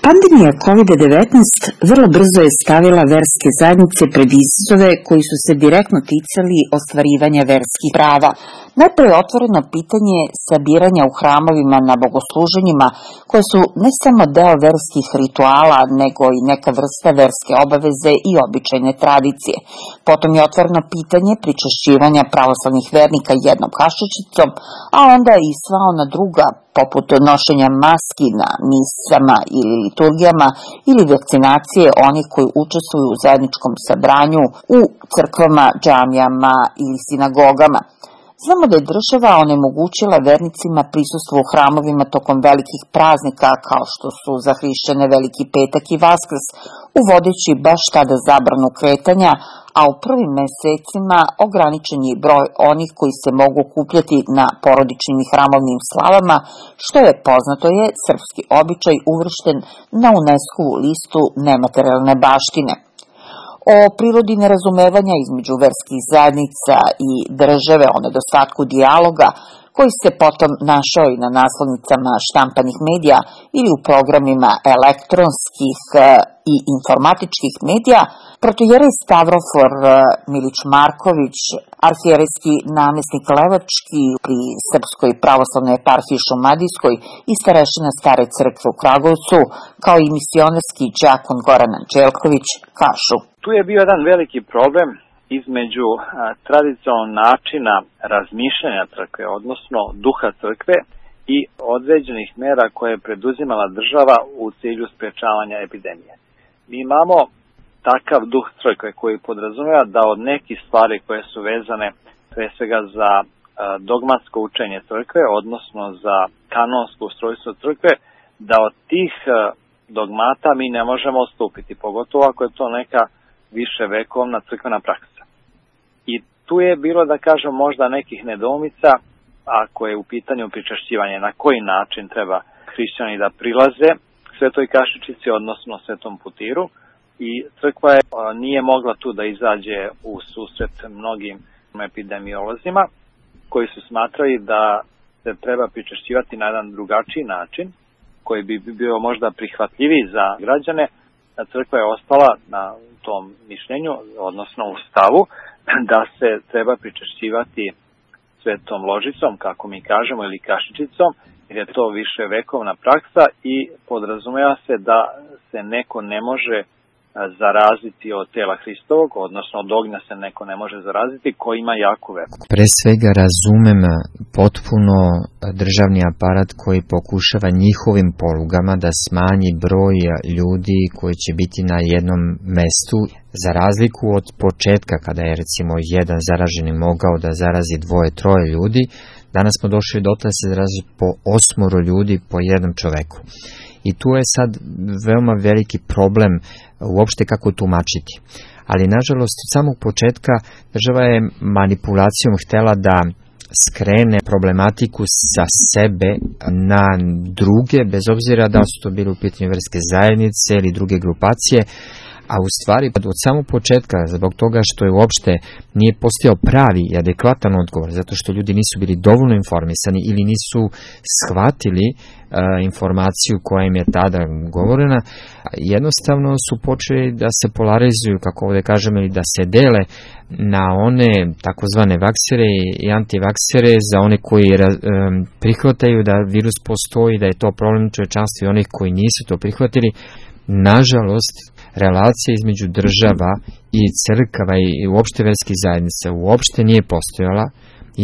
Pandemija COVID-19 vrlo brzo je stavila verske zajednice pred izazove koji su se direktno ticali ostvarivanja verskih prava. Najprije otvoreno pitanje sabiranja u hramovima na bogosluženjima, koje su ne samo deo verskih rituala, nego i neka vrsta verske obaveze i običajne tradicije. Potom je otvoreno pitanje pričešćivanja pravoslavnih vernika jednom kašičicom, a onda i sva ona druga, poput nošenja maski na misama ili liturgijama ili vakcinacije onih koji učestvuju u zajedničkom sabranju u crkvama, džamijama ili sinagogama. Znamo da je država onemogućila vernicima prisustvo u hramovima tokom velikih praznika kao što su za hrišćane Veliki petak i Vaskrs, uvodeći baš tada zabranu kretanja, a u prvim mesecima ograničen je broj onih koji se mogu okupljati na porodičnim i hramovnim slavama, što je, poznato je, srpski običaj uvršten na UNESCO-vu listu nematerijalne baštine. O prirodi nerazumevanja između verskih zajednica i države, o nedostatku dijaloga, koji se potom našao i na naslovnicama štampanih medija ili u programima elektronskih i informatičkih medija, protojerej Stavrofor Milić Marković, arhijerejski namestnik Levački pri Srpskoj pravoslavnoj eparhiji Šumadijskoj i starešina Stare crkve u Kragujevcu, kao i misionarski đakon Goran Anđelković, kažu. Tu je bio jedan veliki problem između tradicionalnog načina razmišljanja crkve, odnosno duha crkve i određenih mera koje je preduzimala država u cilju sprečavanja epidemije. Mi imamo takav duh crkve koji podrazumeva da od nekih stvari koje su vezane pre svega za dogmatsko učenje crkve, odnosno za kanonsko ustrojstvo crkve, da od tih dogmata mi ne možemo odstupiti, pogotovo ako je to neka više vekovna crkvena praksa. I tu je bilo, da kažem, možda nekih nedoumica ako je u pitanju pričešćivanje, na koji način treba hrišćani da prilaze svetoj kašičici, odnosno svetom putiru, i crkva nije mogla tu da izađe u susret mnogim epidemiolozima koji su smatrali da se treba pričešćivati na jedan drugačiji način, koji bi bio možda prihvatljiviji za građane. Crkva je ostala na tom mišljenju, odnosno u stavu, da se treba pričešćivati svetom ložicom, kako mi kažemo, ili kašičicom, jer je to više vekovna praksa i podrazumeva se da se neko ne može zaraziti od tela Hristovog, odnosno od ognja se neko ne može zaraziti ko ima jaku veru. Pre svega razumem potpuno državni aparat koji pokušava njihovim polugama da smanji broj ljudi koji će biti na jednom mestu, za razliku od početka kada je recimo jedan zaraženi mogao da zarazi 2-3 ljudi. Danas smo došli do toga da se zarazi po 8 ljudi po jednom čoveku. I tu je sad veoma veliki problem uopšte kako tumačiti. Ali nažalost od samog početka država je manipulacijom htela da skrene problematiku sa sebe na druge, bez obzira da su to bili u pitanju verske zajednice ili druge grupacije, a u stvari od samog početka, zbog toga što je uopšte nije postojao pravi i adekvatan odgovor, zato što ljudi nisu bili dovoljno informisani ili nisu shvatili informaciju koja im je tada govorena, jednostavno su počeli da se polarizuju, kako ovdje kažemo, ili da se dele na one takozvane vaksere i antivaksere, za one koji prihvataju da virus postoji, da je to problem čovečanstva, i onih koji nisu to prihvatili. Nažalost, relacija između država i crkava i uopšte verskih zajednica uopšte nije postojala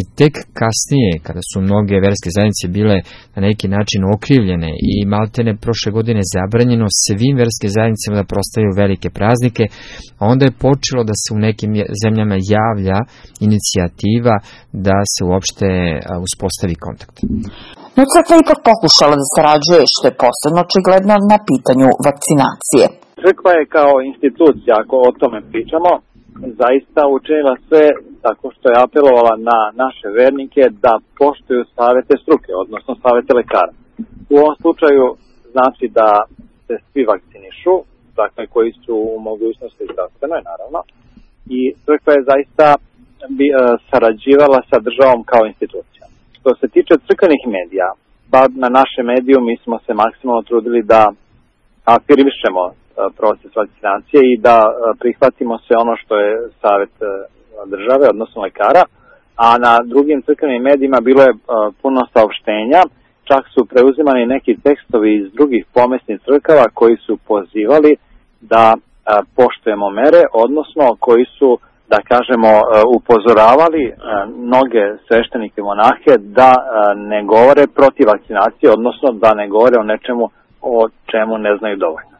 i tek kasnije, kada su mnoge verske zajednice bile na neki način okrivljene i maltene prošle godine zabranjeno svim verske zajednicama da proslavljaju velike praznike, a onda je počelo da se u nekim zemljama javlja inicijativa da se uopšte uspostavi kontakt. No crkva ipak pokušala da sarađuje, što je posebno očigledno na pitanju vakcinacije. Crkva je kao institucija, ako o tome pričamo, zaista učinila sve tako što je apelovala na naše vernike da poštuju savete struke, odnosno savete lekara. U ovom slučaju znači da se svi vakcinišu, dakle koji su u mogućnosti zdravstvenoj, naravno, i crkva je zaista sarađivala sa državom kao institucija. Što se tiče crkvenih medija, na našem mediju mi smo se maksimalno trudili da afirmišemo proces vakcinacije i da prihvatimo sve ono što je savjet države, odnosno lekara, a na drugim crkvenim medijima bilo je puno saopštenja, čak su preuzimani neki tekstovi iz drugih pomesnih crkava koji su pozivali da poštujemo mere, odnosno koji su, da kažemo, upozoravali mnoge sveštenike i monahe da ne govore protiv vakcinacije, odnosno da ne govore o nečemu o čemu ne znaju dovoljno.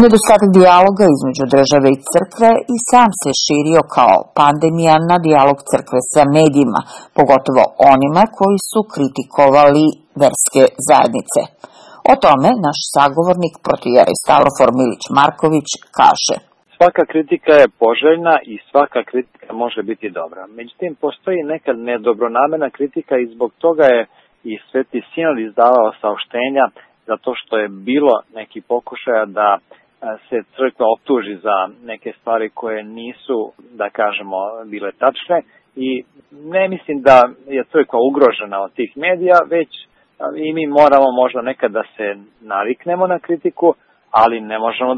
Nedostatak dijaloga između države i crkve i sam se širio kao pandemija na dijalog crkve sa medijima, pogotovo onima koji su kritikovali verske zajednice. O tome naš sagovornik protijerej Stavrofor Milić Marković kaže: Svaka kritika je poželjna i svaka kritika može biti dobra. Međutim, postoji nekad nedobronamena kritika i zbog toga je i Sveti Sinod izdavao saopštenja, zato što je bilo neki pokušaja da se crkva optuži za neke stvari koje nisu, da kažemo, bile tačne, i ne mislim da je crkva ugrožena od tih medija, već i mi moramo možda nekad da se naviknemo na kritiku, ali ne možemo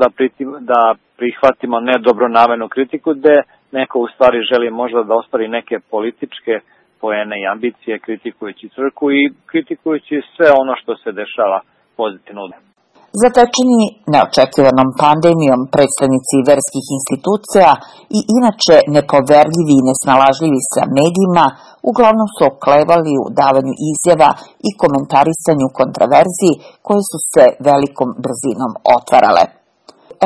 da prihvatimo nedobronamenu kritiku gde neko u stvari želi možda da ostvari neke političke poene i ambicije kritikujući crkvu i kritikujući sve ono što se dešava pozitivno. Zatečeni neočekivanom pandemijom, predstavnici verskih institucija i inače nepoverljivi i nesnalažljivi sa medijima uglavnom su oklevali u davanju izjava i komentarisanju kontraverziji koje su se velikom brzinom otvarale.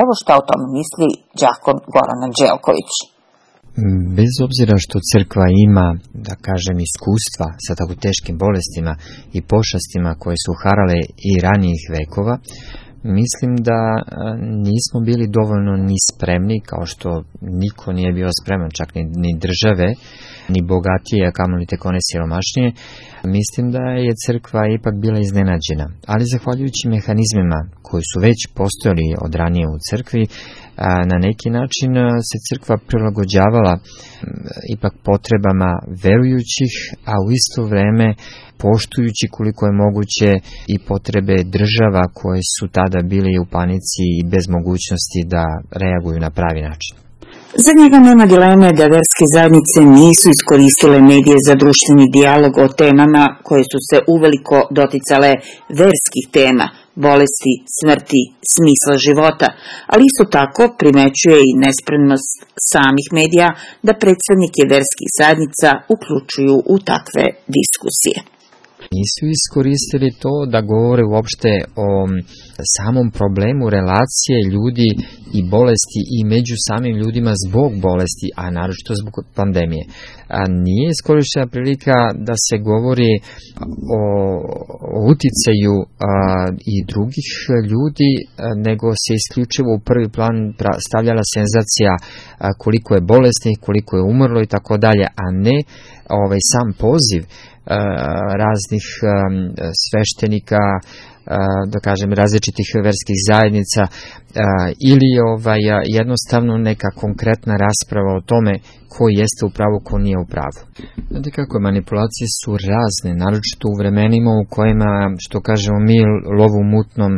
Evo šta o tome misli đakon Goran Anđelković. Bez obzira što crkva ima, da kažem, iskustva sa tako teškim bolestima i pošastima koje su harale i ranijih vekova, mislim da nismo bili dovoljno ni spremni, kao što niko nije bio spreman, čak ni države, ni bogatije, a kamoli tek one siromašnije. Mislim da je crkva ipak bila iznenađena, ali zahvaljujući mehanizmima koji su već postojali od ranije u crkvi, na neki način se crkva prilagođavala ipak potrebama verujućih, a u isto vreme poštujući koliko je moguće i potrebe država koje su tada bili u panici i bez mogućnosti da reaguju na pravi način. Za njega nema dileme da verske zajednice nisu iskoristile medije za društveni dijalog o temama koje su se uveliko doticale verskih tema, bolesti, smrti, smisla života, ali isto tako primećuje i nespremnost samih medija da predstavnike verskih zajednica uključuju u takve diskusije. Nisu iskoristili to da govore uopšte o samom problemu relacije ljudi i bolesti i među samim ljudima zbog bolesti, a naročito zbog pandemije. Nije iskorištena prilika da se govori o uticaju i drugih ljudi, nego se isključivo u prvi plan stavljala senzacija koliko je bolesnih, koliko je umrlo i tako dalje, a ne sam poziv raznih sveštenika, da kažem, različitih verskih zajednica ili jednostavno neka konkretna rasprava o tome ko jeste u pravu, ko nije u pravu. Znate kako, manipulacije su razne, naročito u vremenima u kojima, što kažemo mi, lovu mutnom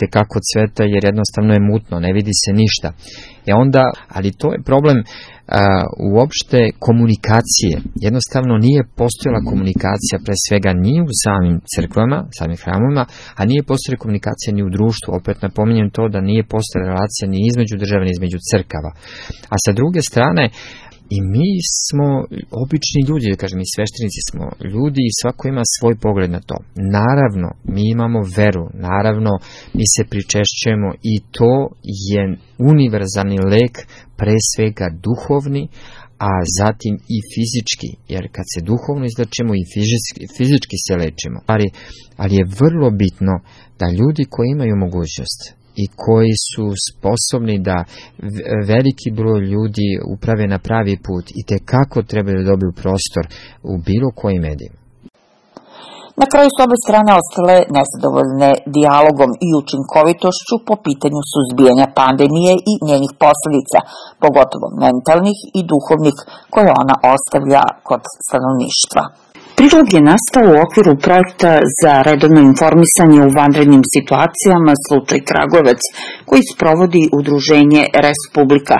tekako cveta, jer jednostavno je mutno, ne vidi se ništa. Ali to je problem uopšte komunikacije. Jednostavno nije postojala komunikacija, pre svega ni u samim crkvama, samim hramovima, a nije postojala komunikacija ni u društvu. Opet napominjem to da nije postojala relacija ni između država, ni između crkava. A sa druge strane, i mi smo obični ljudi, da kažem, i sveštenici smo ljudi i svako ima svoj pogled na to. Naravno, mi imamo veru, naravno, mi se pričešćujemo i to je univerzalni lek, pre svega duhovni, a zatim i fizički, jer kad se duhovno izlečimo i fizički se lečimo. Ali je vrlo bitno da ljudi koji imaju mogućnost i koji su sposobni da veliki broj ljudi uprave na pravi put i tekako treba da dobiju prostor u bilo kojim medijima. Na kraju su obe strane ostale nezadovoljne dijalogom i učinkovitošću po pitanju suzbijanja pandemije i njenih posledica, pogotovo mentalnih i duhovnih, koje ona ostavlja kod stanovništva. Prilog je nastao u okviru projekta za redovno informisanje u vanrednim situacijama Slučaj Kragujevac, koji sprovodi udruženje Respublika.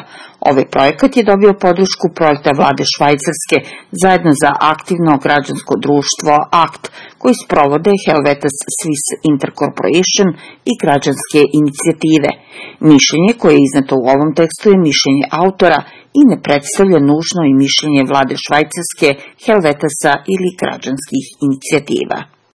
Ovaj projekat je dobio podršku projekta vlade Švajcarske zajedno za aktivno građansko društvo ACT, koji sprovode Helvetas Swiss Intercorporation i građanske inicijative. Mišljenje koje je izneto u ovom tekstu je mišljenje autora i ne predstavlja nužno i mišljenje vlade Švajcarske, Helvetasa ili građanskih inicijativa.